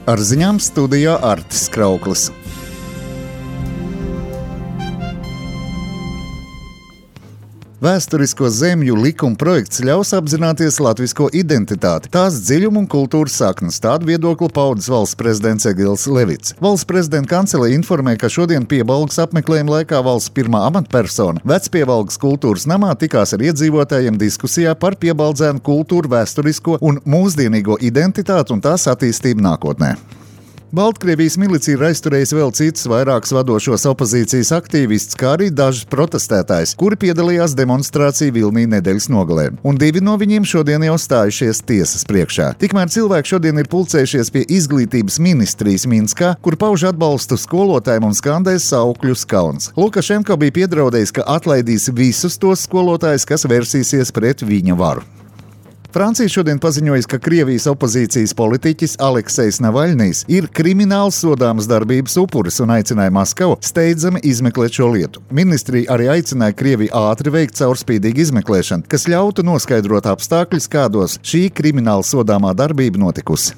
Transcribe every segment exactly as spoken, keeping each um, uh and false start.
Ar ziņām studijā Artis Krauklis. Vēsturisko zemju likuma projekts ļaus apzināties latvisko identitāti, tās dziļumu un kultūras saknes. Tādu viedokli paudis valsts prezidents Egils Levits. Valsts prezidenta kanceleja informē, ka šodien Piebalgas apmeklējuma laikā valsts pirmā amatpersona Vecpiebalgas kultūras namā tikās ar iedzīvotājiem diskusijā par piebaldzēnu kultūru, vēsturisko un mūsdienīgo identitāti un tās attīstību nākotnē. Baltkrievijas milicija ir aizturējusi vēl citus vairākus vadošos opozīcijas aktīvistus, kā arī dažus protestētājus, kuri piedalījās demonstrāciju Vilnī nedēļas nogalē. Un divi no viņiem šodien jau stājušies tiesas priekšā. Tikmēr cilvēki šodien ir pulcējušies pie izglītības ministrijas Minskā, kur pauž atbalstu skolotājiem un skandēs saukļus kauns. Lukašenko bija piedraudējis, ka atlaidīs visus tos skolotājus, kas versīsies pret viņa varu. Francija šodien paziņojas, ka Krievijas opozīcijas politiķis Aleksejs Navaļnijs ir krimināli sodāmas darbības upuris un aicināja Maskavu steidzami izmeklēt šo lietu. Ministrija arī aicināja Krieviju ātri veikt caurspīdīgu izmeklēšanu, kas ļautu noskaidrot apstākļus, kādos šī krimināli sodāmā darbība notikusi.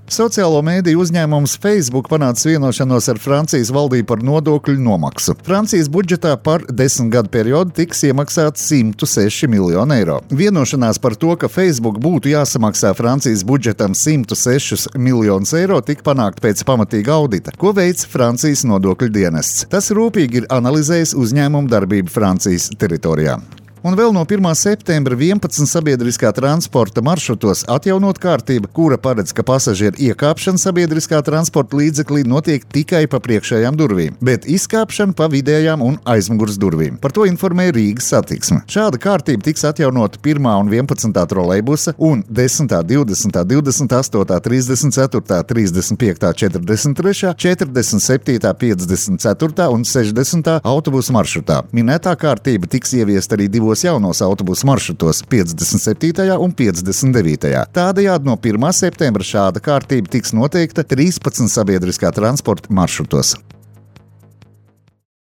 Sociālo mēdīju uzņēmums Facebook panāca vienošanos ar Francijas valdību par nodokļu nomaksu. Francijas budžetā par desmit gadu periodu tiks iemaksāts simt seši miljoni eiro. Vienošanās par to, ka Facebook būtu jāsamaksā Francijas budžetam simt sešus miljonus eiro, tika panākt pēc pamatīga audita, ko veic Francijas nodokļu dienests. Tas rūpīgi ir analizējis uzņēmumu darbību Francijas teritorijā. Un vēl no pirmā septembra vienpadsmit sabiedriskā transporta maršrutos atjaunot kārtība, kura paredz, ka pasažieru iekāpšana sabiedriskā transporta līdzeklī notiek tikai pa priekšējām durvīm, bet izkāpšana pa vidējām un aizmugures durvīm. Par to informē Rīgas satiksme. Šāda kārtība tiks atjaunota pirmā un vienpadsmitā trolejbusa un desmitā, divdesmitā, divdesmit astotā, trīsdesmit ceturtā, trīsdesmit piektā, četrdesmit trešā, četrdesmit septītā, piecdesmit ceturtā un sešdesmitā autobusu maršrutā. Minētā kārtība tiks ieviesta arī divos jaunos autobusu maršrutos piecdesmit septītajā un piecdesmit devītajā. Tādējādi no pirmā septembra šāda kārtība tiks noteikta trīspadsmit sabiedriskā transporta maršrutos.